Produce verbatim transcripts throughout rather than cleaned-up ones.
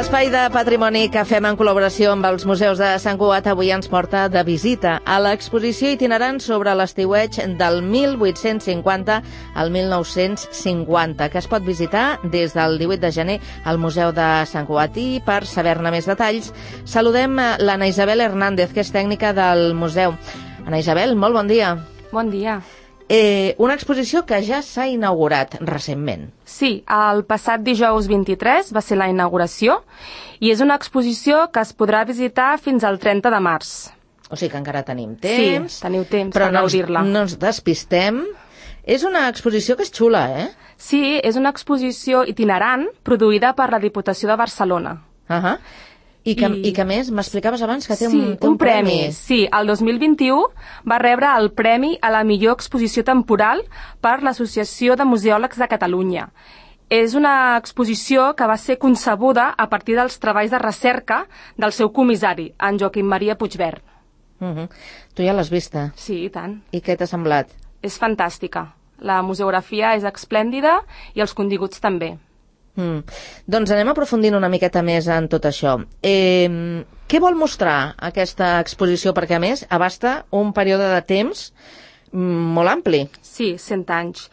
L'espai de patrimoni que fem en col·laboració amb els museus de Sant Cugat avui ens porta de visita a l'exposició itinerant sobre l'estiueig del mil vuit-cents cinquanta al mil nou-cents cinquanta, que es pot visitar des del divuit de gener al Museu de Sant Cugat. I per saber-ne més detalls, saludem l'Anna Isabel Hernández, que és tècnica del museu. Anna Isabel, molt bon dia. Bon dia. Eh, una exposició que ja s'ha inaugurat recentment. Sí, el passat dijous vint-i-tres va ser la inauguració i és una exposició que es podrà visitar fins al trenta de març. O sigui que encara tenim temps. Sí, teniu temps per no gaudir-la. Però no ens despistem. És una exposició que és xula, eh? Sí, és una exposició itinerant produïda per la Diputació de Barcelona. Uh-huh. I que, I... I que més, m'explicaves abans que té sí, un, té un, un premi. premi. Sí, el dos mil vint-i-u va rebre el Premi a la millor exposició temporal per l'Associació de Museòlegs de Catalunya. És una exposició que va ser concebuda a partir dels treballs de recerca del seu comissari, en Joaquim Maria Puigvert. Uh-huh. Tu ja l'has vista? Sí, i tant. I què t'ha semblat? És fantàstica. La museografia és esplèndida i els continguts també. Mm. Doncs anem aprofundint una miqueta més en tot això. Eh, què vol mostrar aquesta exposició? Perquè, a més, abasta un període de temps molt ampli. Sí, cent anys.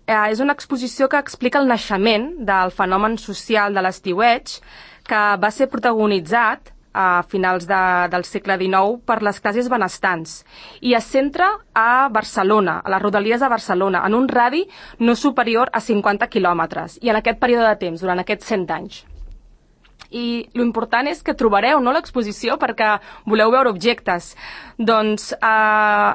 Eh, és una exposició que explica el naixement del fenomen social de l'estiueig, que va ser protagonitzat a finals de, del segle dinou per les classes benestants i es centra a Barcelona, a les rodalies de Barcelona, en un radi no superior a cinquanta quilòmetres i en aquest període de temps, durant aquests cent anys. I l'important és que trobareu, no, l'exposició perquè voleu veure objectes. Doncs, eh,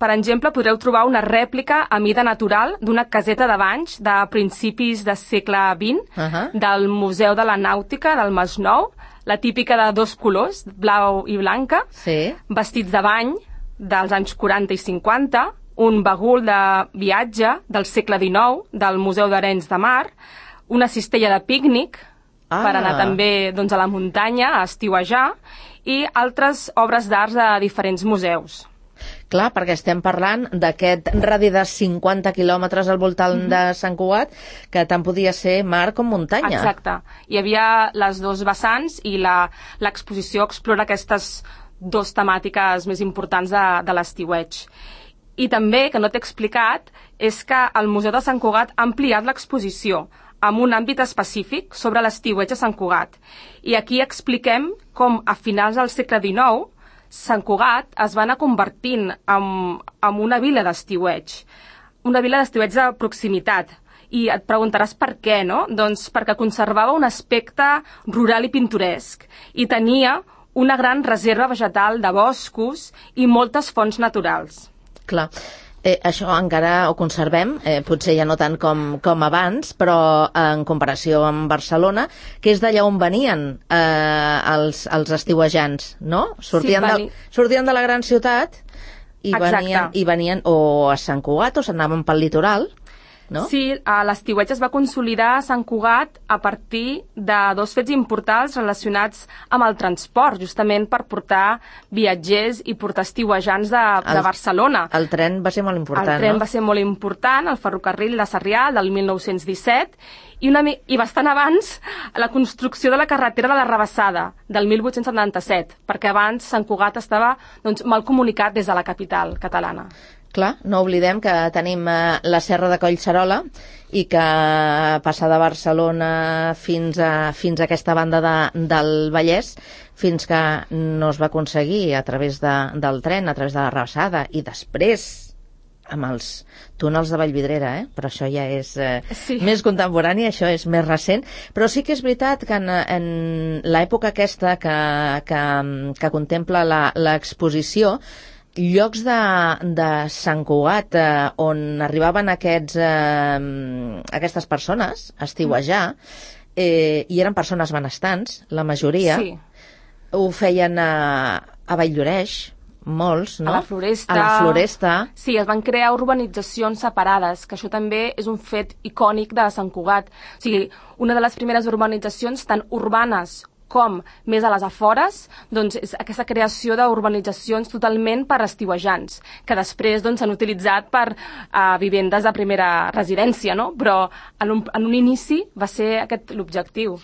per exemple, podreu trobar una rèplica a mida natural d'una caseta de banys de principis del segle vint, uh-huh. del Museu de la Nàutica del Masnou, la típica de dos colors, blau i blanca, sí. Vestits de bany dels anys quaranta i cinquanta, un bagul de viatge del segle dinou, del Museu d'Arenys de Mar, una cistella de pícnic, ah. per anar també doncs, a la muntanya, a estiuejar, i altres obres d'art de diferents museus. Clar, perquè estem parlant d'aquest radi de cinquanta quilòmetres al voltant mm-hmm. de Sant Cugat, que tant podia ser mar com muntanya. Exacte. Hi havia les dos vessants i l'exposició explora aquestes dues temàtiques més importants de, de l'estiueig. I també, que no t'he explicat, és que el Museu de Sant Cugat ha ampliat l'exposició amb un àmbit específic sobre l'estiueig a Sant Cugat. I aquí expliquem com a finals del segle dinou Sant Cugat es va anar convertint en, en una vila d'estiueig, una vila d'estiueig de proximitat. I et preguntaràs per què, no? Doncs perquè conservava un aspecte rural i pintoresc i tenia una gran reserva vegetal de boscos i moltes fonts naturals. Clar. Eh, això encara ho conservem, eh, potser ja no tant com, com abans, però en comparació amb Barcelona, que és d'allà on venien eh, els, els estiuejants, no? Sortien, sí, de, sortien de la gran ciutat i venien, i venien o a Sant Cugat o s'anaven pel litoral, no? Sí, l'estiueig es va consolidar a Sant Cugat a partir de dos fets importants relacionats amb el transport, justament per portar viatgers i portar estiuejants de, el, de Barcelona. El tren va ser molt important, no? El tren no? va ser molt important, el ferrocarril de Sarrià del mil nou-cents disset, i, una, i bastant abans la construcció de la carretera de la Rabassada del mil vuit-cents setanta-set, perquè abans Sant Cugat estava doncs, mal comunicat des de la capital catalana. Clar, no oblidem que tenim eh, la Serra de Collserola i que passar de Barcelona fins a, fins a aquesta banda de, del Vallès, fins que no es va aconseguir a través de, del tren, a través de la Rabassada, i després amb els túnels de Vallvidrera, eh? Però això ja és eh, sí. més contemporani, això és més recent, però sí que és veritat que en, en l'època aquesta que, que, que contempla l'exposició, llocs de, de Sant Cugat eh, on arribaven aquests, eh, aquestes persones a estiuejar, eh, i eren persones benestants, la majoria, sí. ho feien a, a Valldoreix, molts, no? A la Floresta. A la Floresta. Sí, es van crear urbanitzacions separades, que això també és un fet icònic de Sant Cugat. O sigui, una de les primeres urbanitzacions tan urbanes com més a les afores, doncs és aquesta creació d'urbanitzacions totalment per estiuejants, que després doncs s'han utilitzat per uh, vivendes de primera residència, no? Però en un, en un inici va ser aquest l'objectiu.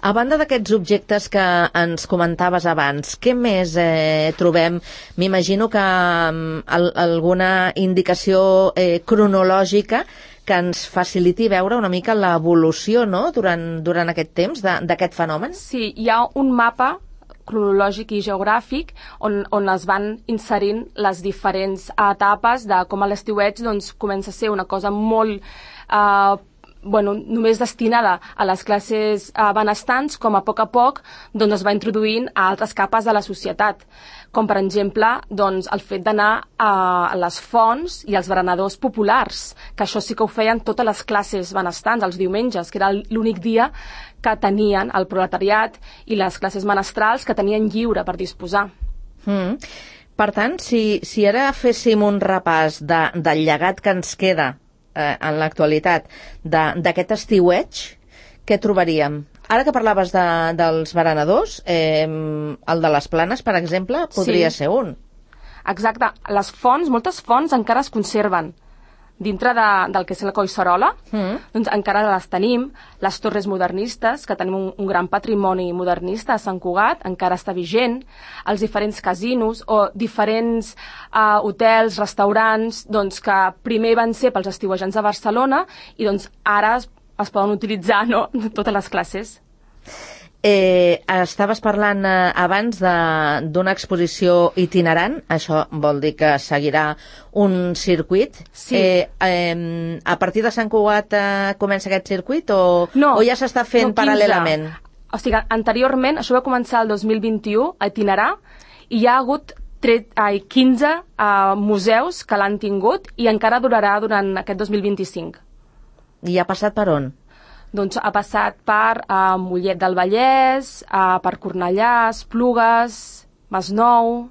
A banda d'aquests objectes que ens comentaves abans, què més eh, trobem? M'imagino que um, al, alguna indicació eh, cronològica que ens faciliti veure una mica l'evolució, no?, durant, durant aquest temps d'aquest fenomen. Sí, hi ha un mapa cronològic i geogràfic on, on es van inserint les diferents etapes de com a l'estiueig doncs, comença a ser una cosa molt eh, bueno, només destinada a les classes eh, benestants, com a poc a poc doncs, es va introduint a altres capes de la societat, com per exemple doncs, el fet d'anar a les fonts i als berenadors populars, que això sí que ho feien totes les classes benestants els diumenges, que era l'únic dia que tenien el proletariat i les classes menestrals que tenien lliure per disposar. Mm. Per tant, si, si ara féssim un repàs de, del llegat que ens queda eh, en l'actualitat d'aquest estiueig, què trobaríem? Ara que parlaves de, dels berenadors, eh, el de les Planes, per exemple, podria sí. ser un. Exacte. Les fonts, moltes fonts encara es conserven. Dintre de, del que és la Collserola, mm. doncs encara les tenim, les torres modernistes, que tenim un, un gran patrimoni modernista a Sant Cugat, encara està vigent, els diferents casinos o diferents uh, hotels, restaurants, doncs, que primer van ser pels estiuejants de Barcelona i doncs ara es, es poden utilitzar, no?, totes les classes. Eh, estaves parlant eh, abans d'una exposició itinerant, això vol dir que seguirà un circuit. Sí. Eh, eh, a partir de Sant Cugat eh, comença aquest circuit o, no, o ja s'està fent no, paral·lelament? O sigui, anteriorment, això va començar el dos mil vint-i-u a itinerar i hi ha hagut tret, ai, quinze uh, museus que l'han tingut i encara durarà durant aquest dos mil vint-i-cinc. I ha passat per on? Doncs ha passat per uh, Mollet del Vallès, uh, per Cornellà, Esplugues, Masnou...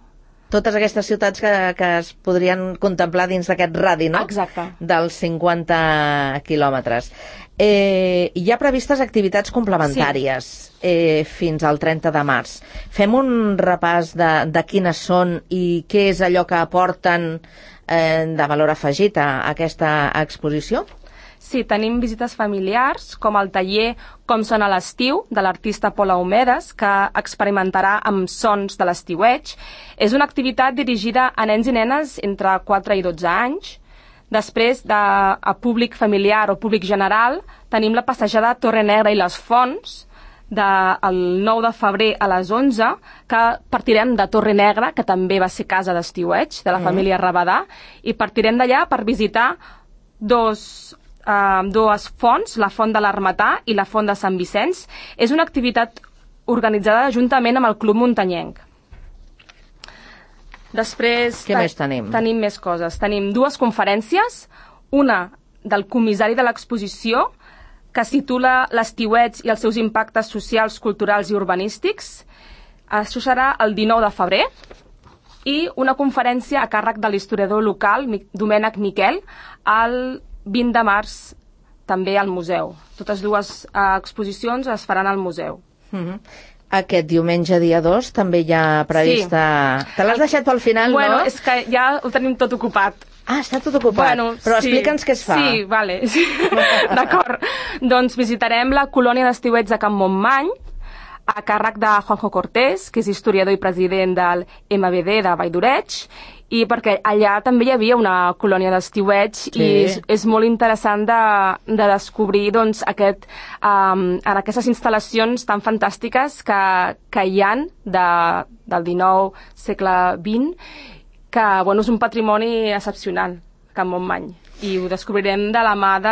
Totes aquestes ciutats que, que es podrien contemplar dins d'aquest radi, no? Exacte. Dels cinquanta quilòmetres. Eh, hi ha previstes activitats complementàries sí. eh, fins al trenta de març. Fem un repàs de, de quines són i què és allò que aporten eh, de valor afegit a, a aquesta exposició? Sí, tenim visites familiars, com el taller Com són a l'estiu, de l'artista Paula Homedes, que experimentarà amb sons de l'estiueig. És una activitat dirigida a nens i nenes entre quatre i dotze anys. Després, de, a públic familiar o públic general, tenim la passejada Torre Negra i les Fonts, del nou de febrer a les onze, que partirem de Torre Negra, que també va ser casa d'estiueig, de la mm. família Rabadà, i partirem d'allà per visitar dos... Uh, dues fonts, la Font de l'Armatà i la Font de Sant Vicenç. És una activitat organitzada juntament amb el Club Muntanyenc. Després... Què més tenim? Tenim més coses. Tenim dues conferències, una del comissari de l'exposició, que es titula L'estiueig i els seus impactes socials, culturals i urbanístics. Això serà el dinou de febrer. I una conferència a càrrec de l'historiador local, Domènec Miquel, al vint de març, també al museu. Totes dues uh, exposicions es faran al museu. Mm-hmm. Aquest diumenge, dia dos, també hi ha prevista... Sí. Te l'has deixat pel final, bueno, no? Bueno, és que ja ho tenim tot ocupat. Ah, està tot ocupat. Bueno, però sí. explica'ns què es fa. Sí, vale. D'acord. Doncs visitarem la colònia d'estiueig de Can Montmany, a càrrec de Juanjo Cortés, que és historiador i president del M V D de Valldoreig, i perquè allà també hi havia una colònia d'estiueig sí. i és, és molt interessant de, de descobrir doncs, aquest, um, en aquestes instal·lacions tan fantàstiques que, que hi ha de, del dinou, segle vint, que bueno, és un patrimoni excepcional, Can Montmany. I ho descobrirem de la mà de,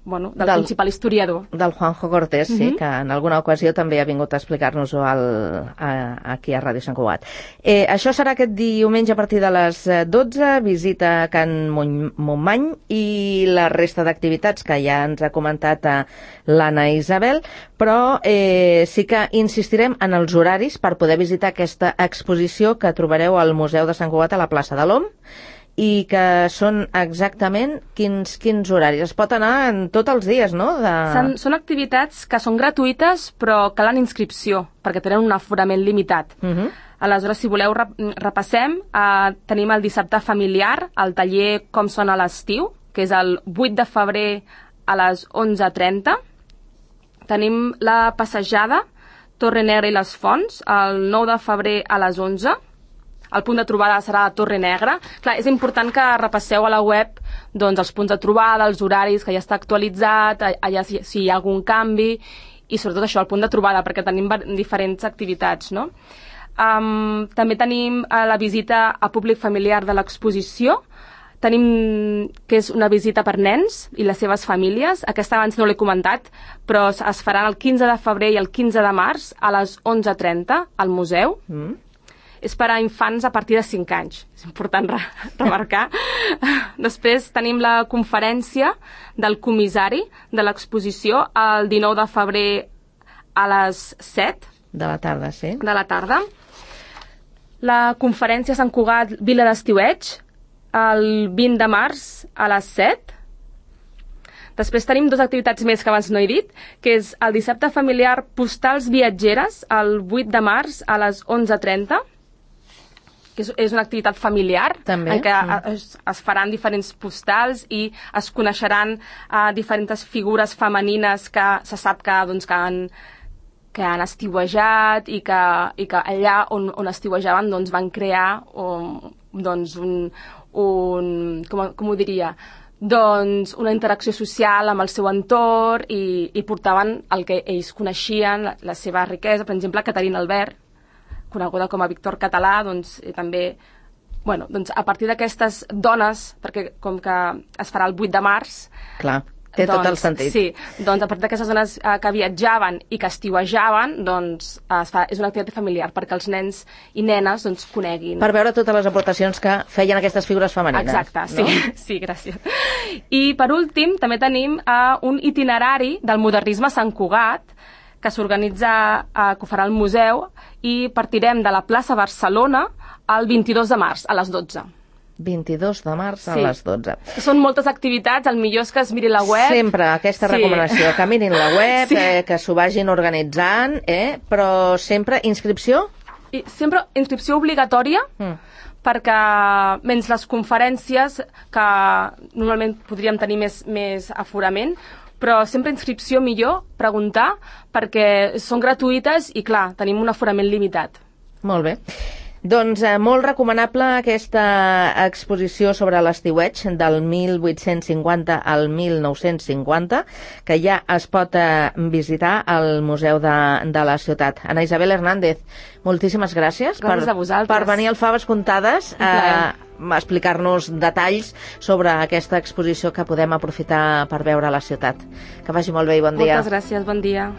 bueno, del, del principal historiador. Del Juanjo Cortés, sí, uh-huh. que en alguna ocasió també ha vingut a explicar-nos-ho aquí a Ràdio Sant Cugat. Eh, això serà aquest diumenge a partir de les dotze, visita a Can Montmany i la resta d'activitats que ja ens ha comentat l'Anna Isabel, però eh, sí que insistirem en els horaris per poder visitar aquesta exposició que trobareu al Museu de Sant Cugat a la plaça de l'Om, i que són exactament quins, quins horaris. Es pot anar en tots els dies, no? De... Són, són activitats que són gratuïtes però calen inscripció, perquè tenen un aforament limitat. Uh-huh. Aleshores, si voleu, repassem. Uh, tenim el dissabte familiar, el taller Com són a l'estiu, que és el vuit de febrer a les onze trenta. tenim la passejada Torre Negra i les Fonts, el nou de febrer a les onze. El punt de trobada serà la Torre Negra. Clar, és important que repasseu a la web doncs, els punts de trobada, els horaris, que ja està actualitzat, allà si, si hi ha algun canvi, i sobretot això, el punt de trobada, perquè tenim diferents activitats, no? Um, també tenim uh, la visita a públic familiar de l'exposició. Tenim que és una visita per nens i les seves famílies. Aquesta abans no l'he comentat, però es faran el quinze de febrer i el quinze de març a les onze trenta al museu. Mm. És per a infants a partir de cinc anys. És important re remarcar. Després tenim la conferència del comissari de l'exposició el dinou de febrer a les set. De la tarda, sí. De la tarda. La conferència a Sant Cugat, Vila d'Estiueig, el vint de març a les set. Després tenim dues activitats més que abans no he dit, que és el dissabte familiar Postals Viatgeres, el vuit de març a les onze trenta, que és, és una activitat familiar, també, en què sí. es, es faran diferents postals i es coneixeran uh, diferents figures femenines que se sap que, doncs, que han que han estiuejat i que, i que allà on, on estiuejaven doncs, van crear um, doncs, un, un com, com ho diria, doncs una interacció social amb el seu entorn i, i portaven el que ells coneixien, la, la seva riquesa. Per exemple, Caterina Albert, coneguda com a Víctor Català, doncs eh, també, bueno, doncs a partir d'aquestes dones, perquè com que es farà el vuit de març, clar, té doncs, tot el sentit. Sí, doncs a partir d'aquestes dones eh, que viatjaven i que estiuejaven, doncs es fa, és una activitat familiar perquè els nens i nenes doncs coneguin. Per veure totes les aportacions que feien aquestes figures femenines. Exacte, sí, no? sí, gràcies. I per últim també tenim uh, un itinerari del modernisme a Sant Cugat que s'organitza, uh, que ho farà el museu, i partirem de la plaça Barcelona el vint-i-dos de març a les dotze. vint-i-dos de març a sí. les dotze. Són moltes activitats, el millor és que es miri la web. Sempre aquesta sí. recomanació, que mirin la web, sí. eh, que s'ho vagin organitzant, eh, però sempre inscripció? I sempre inscripció obligatòria, mm. perquè menys les conferències, que normalment podríem tenir més, més aforament, però sempre inscripció millor, preguntar, perquè són gratuïtes i, clar, tenim un aforament limitat. Molt bé. Doncs eh, molt recomanable aquesta exposició sobre l'estiueig del mil vuit-cents cinquanta al mil nou-cents cinquanta, que ja es pot eh, visitar al Museu de, de la Ciutat. Ana Isabel Hernández, moltíssimes gràcies, gràcies per, per venir al Faves Comptades a eh, explicar-nos detalls sobre aquesta exposició que podem aprofitar per veure a la ciutat. Que vagi molt bé i bon dia. Moltes gràcies, bon dia.